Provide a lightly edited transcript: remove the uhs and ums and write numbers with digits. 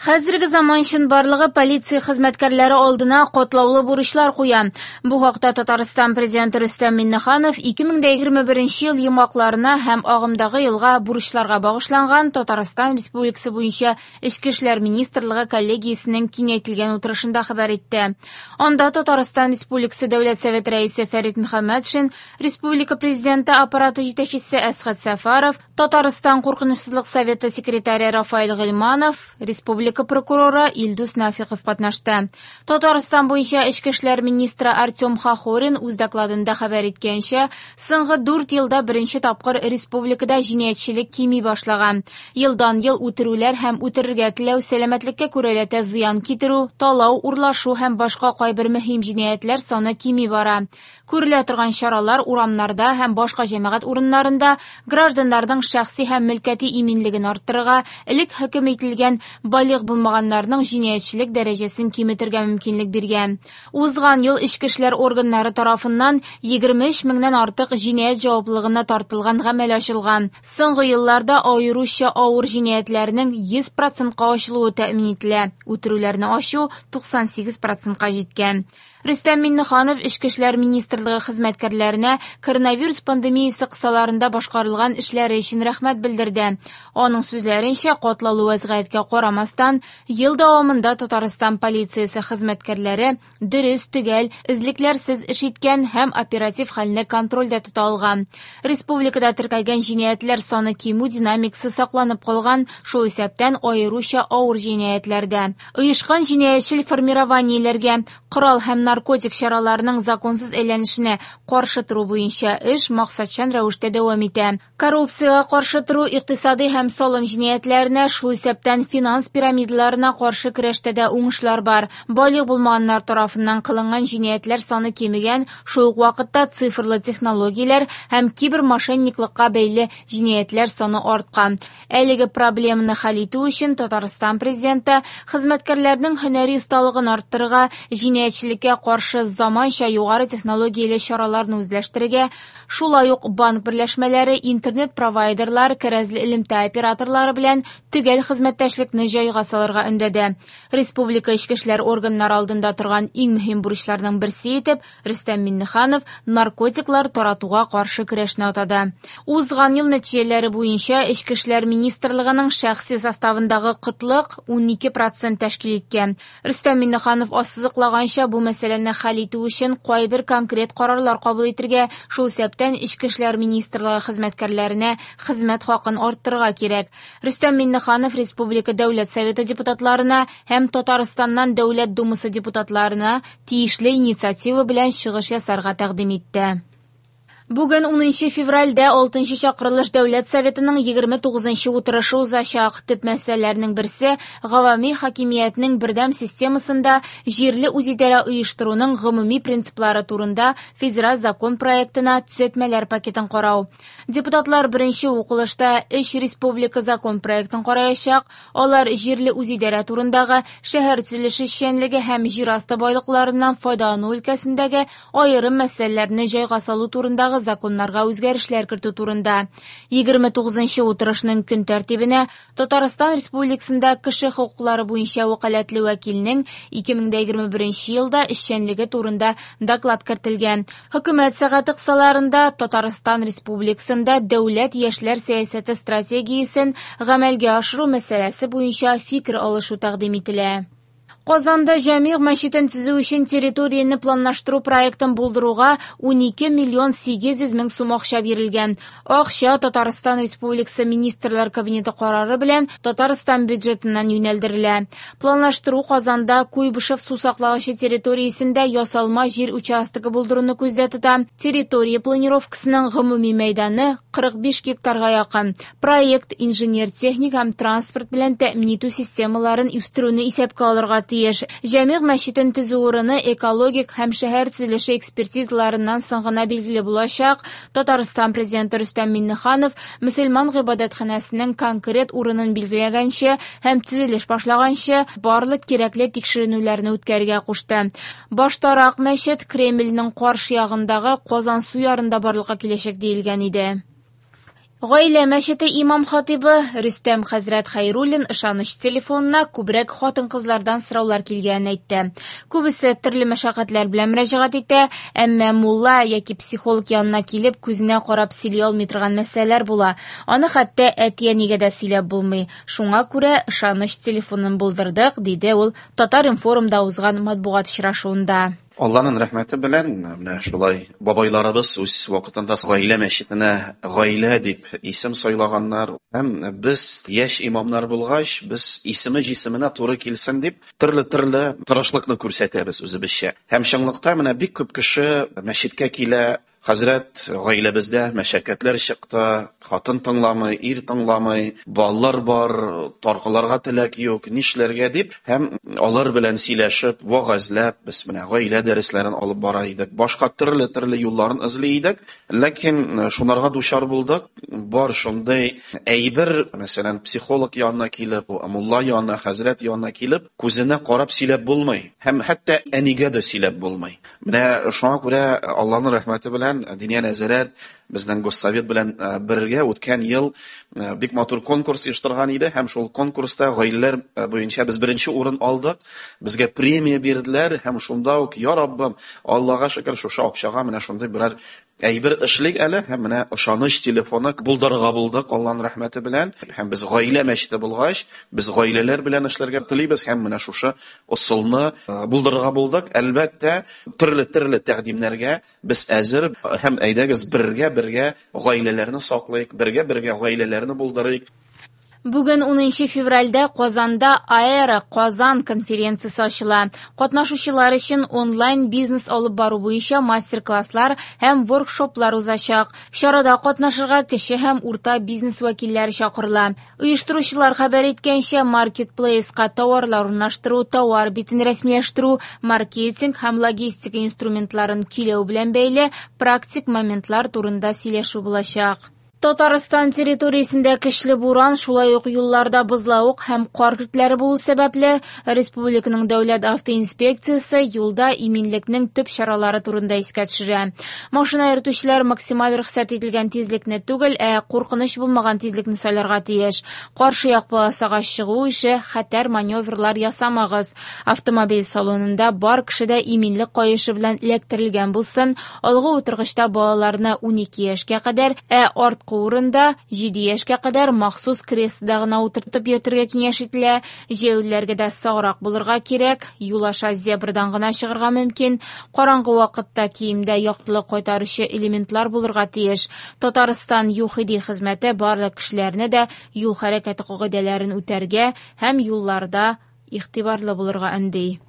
Хәзерге заман чынбарлыгы полиция хезмәткәрләре алдына катлаулы бурычлар куя. Бу хакта Татарстан Президенты Рөстәм Миңнеханов 2021 ел йомгакларына һәм агымдагы елга бурычларга багышланган Татарстан Республикасы буенча Эчке эшләр министрлыгы коллегиясенең киңәйтелгән утырышында хәбәр итте. Анда Татарстан Республикасы Дәүләт Советы Рәисе Фәрит Мөхәммәтшин, Республика Президенты аппараты җитәкчесе Әсхәт Сәфәров, Татарстан Куркынычсызлык советы секретаре Рафаэль Гыйльманов, республика прокуроры Илдус Нафиков катнашты. Татарстан буенча эчке эшләр министры Артем Хохорин үз докладында хәбәр иткәнчә, соңгы 4 елда беренче тапкыр республикада җинаятьчелек кими башлаган. Елдан-ел үтерүләр һәм үтерергә теләү, сәламәтлеккә күрәләтә зыян китерү, талау, урлашу һәм башка кайбер мөһим җинаятьләр саны кими бара. Күрелә торган чаралар урамнарда һәм башка җәмәгать урыннарында гражданнарның шәхси һәм мөлкәти иминлеген арттырырга, элек хөкем ителгән балигъ булмаганнарның җинаятьчелек дәрәҗәсен киметергә мөмкинлек биргән. Узган ел эчке эшләр органнары тарафыннан 23 меңнән артык җинаять җаваплылыгына тартылган гамәл ачылган. Соңгы елларда аеруча авыр җинаятьләрнең 100 процентка ачылуы тәэмин ителә, үтерүләрне ачу 98 процентка җиткән. Рөстәм Миңнеханов Эчке эшләр министрлыгы хезмәткәрләренә коронавирус пандемиясе кысаларында башкарылган эшләре өчен рәхмәт белдерде. Аның сүзләренчә, катлаулы вәзгыятькә карамастан, ел дәвамында Татарстан полициясе хезмәткәрләре дөрес, төгәл, эзлекләрсез эш иткән һәм оператив хәлне контрольдә тота алган. Республикада теркәлгән җинаятьләр саны кимү динамикасы сакланып калган, шул исәптән аеруча авыр җинаятьләрдә. Оешкан җинаятьчел формированиеләргә, корал һәм наркотик чараларының законсыз әйләнешенә каршы тору буенча эш максатчан рәвештә дәвам итә. Коррупциягә каршы тору, икътисади һәм салым җинаятьләренә, шул исәптән финанс пирамидаларына каршы көрәштә дә уңышлар бар. Балигъ булмаганнар тарафыннан кылынган җинаятьләр саны кимегән, шул ук вакытта цифрлы технологияләр һәм кибермошенниклыкка бәйле җинаятьләр саны арткан. Әлеге проблеманы хәл итү өчен Татарстан Президенты хезмәткәрләрнең һөнәри осталыгын арттырырга, җинаятьчелеккә каршы заманча югары технологияле чараларны үзләштерергә, шулай ук банк берләшмәләре, интернет-провайдерлар, кәрәзле элемтә операторлары белән төгәл хезмәттәшлекне җайга салырга өндәде. Республика эчке эшләр органнары алдында торган иң мөһим бурычларның берсе итеп Рөстәм Миңнеханов наркотиклар таратуга каршы көрәшне атады. Узган ел нәтиҗәләре буенча Эчке эшләр министрлыгының шәхси составындагы кытлык 12 процент тәшкил иткән. Рөстәм Миңнеханов ассызыклаганча, бу мәсьәләне хәл итү өчен кайбер конкрет карарлар кабул итергә, шул исәптән Эчке эшләр министрлыгы хезмәткәрләренә хезмәт хакын арттырырга кирәк. Рөстәм Миңнеханов Республика Дәүләт Советы депутатларына һәм Татарстаннан Дәүләт Думасы депутатларына тиешле инициатива белән чыгыш ясарга тәкъдим итте. Бүген 10 февральдә 6 чакырылыш Дәүләт Советының 29 утырышы узачак. Төп мәсьәләләрнең берсе гавами хакимиятнең бердәм системасында җирле үзидарә оештыруның гомуми принциплары турында федераль закон проектына төзәтмәләр пакетын карау. Депутатлар беренче укылышта өч республика закон проектын караячак. Алар җирле үзидарә турындагы, шәһәр төзелеше эшчәнлеге һәм җир асты байлыкларыннан файдалану өлкәсендәге аерым мәсьәләләрне җайга салу турындагы законнарга үзгәрешләр кертү турында. 29 утырышның көн тәртибенә Татарстан Республикасында кеше хокуклары буенча вәкаләтле вәкилнең 2021 елда эшчәнлеге турында доклад кертелгән. Хөкүмәт сәгате кысаларында Татарстан Республикасында дәүләт яшьләр сәясәте стратегиясен гамәлгә ашыру мәсьәләсе буенча фикер алышу тәкъдим ителә. Казанда Җәмигъ мәчетен төзү өчен территорияне планлаштыру проектын булдыруга 12 миллион 800 мең сум акча бирелгән. Акча Татарстан Республикасы Министрлар Кабинеты карары белән Татарстан бюджетыннан юнәлдерелә. Планлаштыру Казанда Куйбышев су саклагычы территориясендә ясалма җир участогы булдыруны күздә тота. Территория планировкасының гомуми мәйданы 45 гектарга якын. Проект инженер-техник һәм транспорт белән тәэмин итү системаларын үстерүне исәпкә алырга тиеш. Җәмигъ мәчетен төзү урыны экологик һәм шәһәр төзелеше экспертизаларыннан соң гына билгеле булачак. Татарстан Президенты Рөстәм Миңнеханов мөселман гыйбадәтханәсенең конкрет урынын билгеләгәнче һәм төзелеш башлаганчы барлык кирәкле тикшеренүләрне үткәрергә кушты. Баштарак мәчет Кремльнең каршы ягындагы Казансу ярында барлыкка киләчәк диелгән иде. Гаилә мәчете имам-хатыйбы Рөстәм хәзрәт Хәйруллин ышаныч телефонына күбрәк хатын-кызлардан сораулар килгәнен әйтте. Күбесе төрле мәшәкатьләр белән мөрәҗәгать итә, әмма мулла яки психолог янына килеп, күзенә карап сөйли алмый торган мәсьәләләр була. Аны хәтта әти-әнигә дә сөйләп булмый. Шуңа күрә ышаныч телефонын булдырдык, диде ул Татар-информда узган матбугат очрашуында. Алланың рәхмәте белән, менә шулай бабайларыбыз үз вакытында гаилә мәчетенә гаилә дип исем сайлаганнар. Һәм без яшь имамнар булгач, без исеме җисеменә туры килсен дип, төрле-төрле тырышлыкны күрсәтәбез үзебезчә. Һәм чынлыкта менә бик күп кеше мәчеткә килә, хәзрәт, гаиләбездә мәшәкатьләр чыкты, хатын тыңламый, ир тыңламый, балалар бар, таркаларга теләк юк, нишләргә дип, һәм алар белән сөйләшеп, вәгазьләп, без менә гаилә дәресләрен алып бара идек, башка төрле-төрле юлларын эзли идек, ләкин шунарга дучар булдык. Бар шундый әйбер, мәсәлән, психолог янына килеп, мулла янына, хәзрәт янына килеп, күзенә карап сөйләп булмый, һәм хәтта әнигә дә сөйләп булмый. Менә шуңа күрә Алланың рәхмәте белән Диния нәзарәт безнең Госсовет белән бергә үткән ел бик матур конкурс оештырган иде, һәм шул конкурста гаиләләр буенча без беренче урын алдык. Безгә премия бирделәр, һәм шунда ук, я Раббым, Аллага шөкер, шушы акчага менә шундый берәр әйбер эшлик әле, һәм менә ышаныч телефоны булдырырга булдык Алланың рәхмәте белән. Һәм без гаилә мәчете булгач, без гаиләләр белән эшләргә телибез, һәм менә шушы ысулны булдырырга булдык. Әлбәттә, төрле-төрле тәкъдимнәргә без әзер, һәм әйдәгез бергә-бергә гаиләләрне саклыйк, бергә-бергә гаиләләрне булдырыйк. Бүген 10 февральдә Казанда Аэро Казан конференциясе ачыла. Катнашучылар өчен онлайн бизнес алып бару буенча мастер-класслар һәм воркшоплар узачак. Чарада катнашырга кече һәм урта бизнес вәкилләре чакырыла. Оештыручылар хәбәр иткәнчә, маркетплейска тауарлар урнаштыру, тауар битен рәсмиләштерү, маркетинг һәм логистика инструментларын көйләү белән бәйле практик моментлар турында сөйләшү булачак. Татарстан территориясендә көчле буран, шулай ук юлларда бозлавык һәм кар көртләре булу сәбәпле, республиканың дәүләт автоинспекциясе юлда иминлекнең төп чаралары турында искә төшерә. Машина йөртүчеләр максималь рөхсәт ителгән тизлекне түгел, ә куркыныч булмаган тизлекне сайларга тиеш. Каршы як полосага чыгу ише хәтәр маневрлар ясамагыз. Автомобиль салонында бар кеше дә иминлек каешы белән эләктерелгән булсын. Алгы утыргычта балаларны 12 яшькә кадәр, ә арткы урында 7 яшькә кадәр махсус креслода гына утыртып йөртергә киңәш ителә. Җәяүлеләргә дә саграк булырга кирәк. Юл аша зебрадан гына чыгарга мөмкин. Караңгы вакытта киемдә яктылык кайтаручы элементлар булырга тиеш. Татарстан ЮХИДИ хезмәте барлык кешеләрне дә юл хәрәкәте кагыйдәләрен үтәргә һәм юлларда игътибарлы булырга өнди.